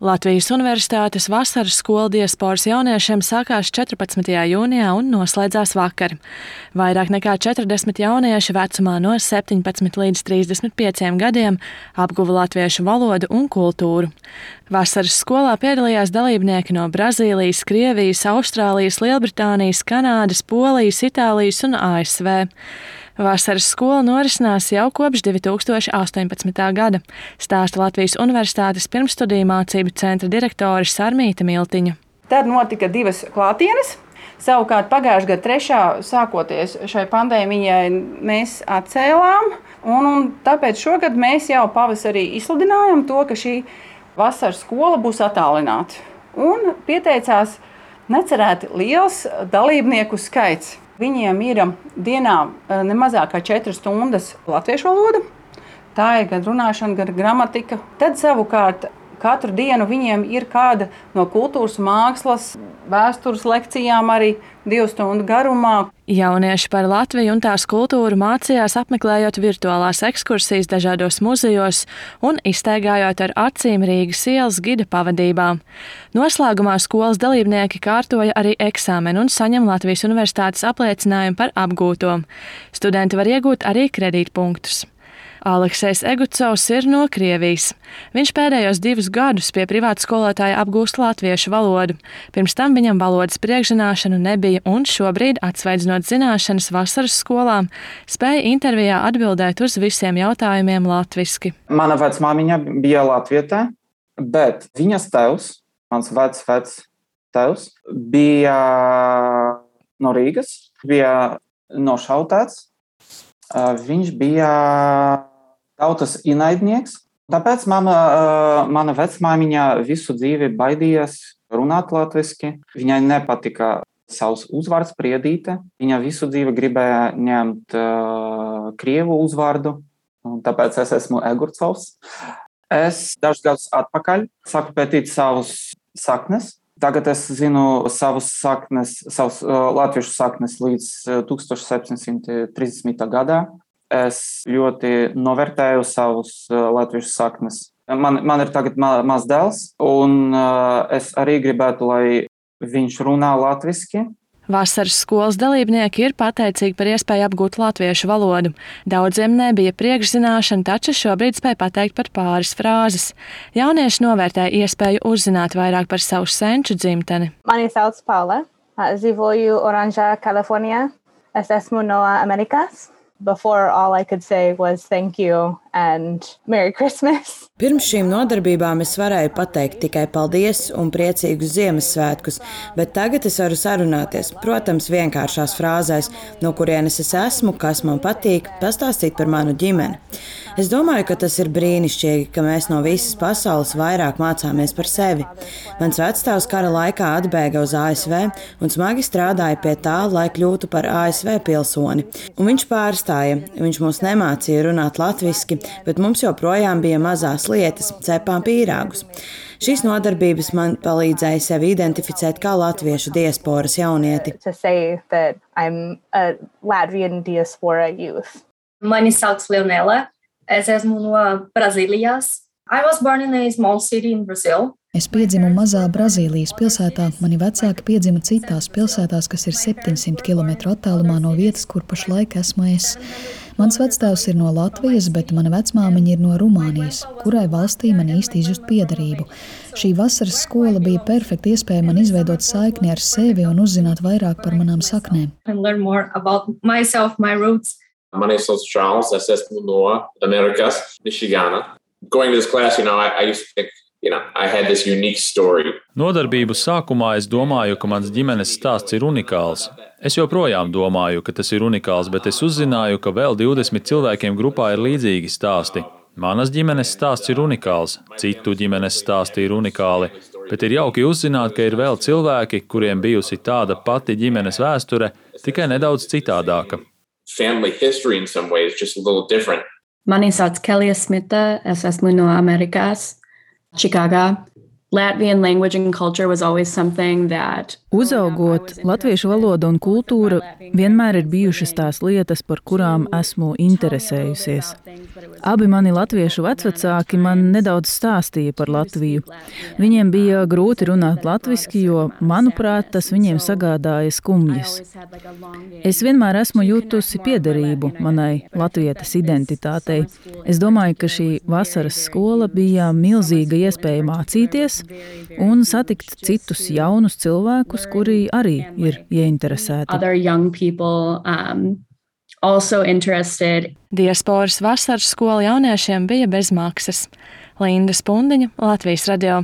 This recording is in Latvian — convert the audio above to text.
Latvijas Universitātes vasaras skola diasporas jauniešiem sākās 14. jūnijā un noslēdzās vakar. Vairāk nekā 40 jaunieši vecumā no 17 līdz 35 gadiem apguva latviešu valodu un kultūru. Vasaras skolā piedalījās dalībnieki no Brazīlijas, Krievijas, Austrālijas, Lielbritānijas, Kanādas, Polijas, Itālijas un ASV. Vasaras skola norisinās jau kopš 2018. gada, stāsta Latvijas Universitātes pirmstudiju mācību centra direktore Sarmīta Miltiņa. Tad notika 2 klātienes. Savukārt pagājušā gada 3. sākoties šai pandēmijai mēs atcēlām, un tāpēc šogad mēs jau pavasarī izsludinājām to, ka šī vasaras skola būs attālināta. Un pieteicās necerēti liels dalībnieku skaits. Viņiem ir dienā ne mazāk kā 4 stundas latviešu valoda. Tā ir gan runāšana, gan gramatika. Tad savukārt katru dienu viņiem ir kāda no kultūras, mākslas, vēstures lekcijām arī 2 stundu garumā. Jaunieši par Latviju un tās kultūru mācījās apmeklējot virtuālās ekskursijas dažādos muzejos un izstaigājot ar acīm Rīgas ielas gida pavadībā. Noslēgumā skolas dalībnieki kārtoja arī eksāmenu un saņem Latvijas Universitātes apliecinājumu par apgūto. Studenti var iegūt arī kredītpunktus. Aleksejs Egucovs ir no Krievijas. Viņš pēdējos 2 gadus pie privāta skolotāja apgūst latviešu valodu. Pirms tam viņam valodas priekšzināšanu nebija un šobrīd, atsveidzinot zināšanas vasaras skolām, spēja intervijā atbildēt uz visiem jautājumiem latviski. Mana vecmāmiņa bija latvietē, bet viņas tēvs, mans tēvs, bija no Rīgas, bija nošautāts. Viņš bija tautas ienaidnieks. Tāpēc mana vecmāmiņa visu dzīvi baidījās runāt latviski. Viņai nepatika savs uzvārds Priedīte. Viņa visu dzīvi gribēja ņemt krievu uzvārdu, un tāpēc es esmu Egucovs. Es dažus gadus atpakaļ sāku pētīt savus saknes. Tagad es zinu savus latviešu saknes līdz 1730. gadā. Es ļoti novērtēju savus latviešu saknes. Man ir tagad mazs dēls, un es arī gribētu, lai viņš runā latviski. Vasaras skolas dalībnieki ir pateicīgi par iespēju apgūt latviešu valodu. Daudziem nebija priekšzināšana, taču šobrīd spēj pateikt pat pāris frāzes. Jaunieši novērtēja iespēju uzzināt vairāk par savu senču dzimteni. Mani sauc Paula. Dzīvoju Oranžā, Kalifornijā. Es esmu no Amerikas. Before, all I could say was thank you and Merry Christmas. Pirms šīm nodarbībām es varēju pateikt tikai paldies un priecīgus Ziemassvētkus, bet tagad es varu sarunāties, protams, vienkāršās frāzēs, no kurienes es esmu, kas man patīk, pastāstīt par manu ģimeni. Es domāju, ka tas ir brīnišķīgi, ka mēs no visas pasaules vairāk mācāmies par sevi. Mans vecstāvs kara laikā atbēga uz ASV un smagi strādāja pie tā, lai kļūtu par ASV pilsoni. Un viņš pārstāja. Viņš mums nemācīja runāt latviski, bet mums joprojām bija mazās lietas, cepām pīrāgus. Šīs nodarbības man palīdzēja sevi identificēt kā latviešu diasporas jaunieti. Mani sauc Leonela. Es esmu no Brazīlijas. I was born in a small city in Brazil. Es piedzimu mazā Brazīlijas pilsētā. Mani vecāki piedzima citās pilsētās, kas ir 700 km attālumā no vietas, kur pašlaik esmu es. Mans vectēvs ir no Latvijas, bet mana vecmāmiņa ir no Rumānijas, kurai valstī man īsti izjust piederību. Šī vasaras skola bija perfekta iespēja man izveidot saikni ar sevi un uzzināt vairāk par manām saknēm. Mani sauc Charles, es esmu no Amerikas, Michigana. Going to this class, I used to think, I had this unique story. Nodarbību sākumā es domāju, ka mans ģimenes stāsts ir unikāls. Es joprojām domāju, ka tas ir unikāls, bet es uzzināju, ka vēl 20 cilvēkiem grupā ir līdzīgi stāsti. Manas ģimenes stāsts ir unikāls, citu ģimenes stāsti ir unikāli, bet ir jauki uzzināt, ka ir vēl cilvēki, kuriem bijusi tāda pati ģimenes vēsture, tikai nedaudz citādāka. Family history in some ways, just a little different. Mani sauc Kelija Smita, es esmu no Amerikas, Čikāgā. Latvian language and culture was always something that... Uzaugot, latviešu valoda un kultūra vienmēr ir bijušas tās lietas, par kurām esmu interesējusies. Abi mani latviešu vecvecāki man nedaudz stāstīja par Latviju. Viņiem bija grūti runāt latviski, jo, manuprāt, tas viņiem sagādāja skumjas. Es vienmēr esmu jutusi piederību manai latvietes identitātei. Es domāju, ka šī vasaras skola bija milzīga iespēja mācīties un satikt citus jaunus cilvēkus, kuri arī ir ieinteresēti. Diasporas vasaras skola jauniešiem bija bez maksas. Linda Spundiņa, Latvijas radio.